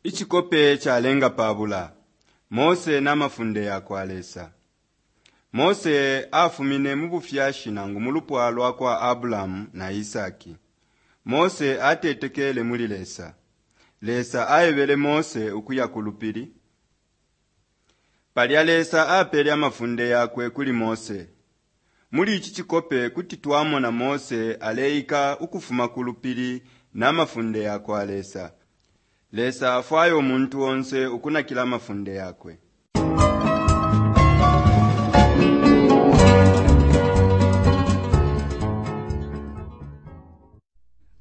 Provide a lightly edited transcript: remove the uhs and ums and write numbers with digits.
Icikope calenga pabula, Mose na mafunde yakwa Lesa. Mose afumine mu bufyashi nangu mulupwa lwakwa Abulamu na Isaki. Mose atetekeele muli Lesa. Lesa aebele Mose ukuya ku lupili. Palya Lesa apele amafunde yakwe kuli Mose. Muli ici cikope kuti twamona Mose aleika ukufuma ku lupili na mafunde yakwa Lesa. Lesa afwaya umuntu onse ukunakila amafunde yakwe.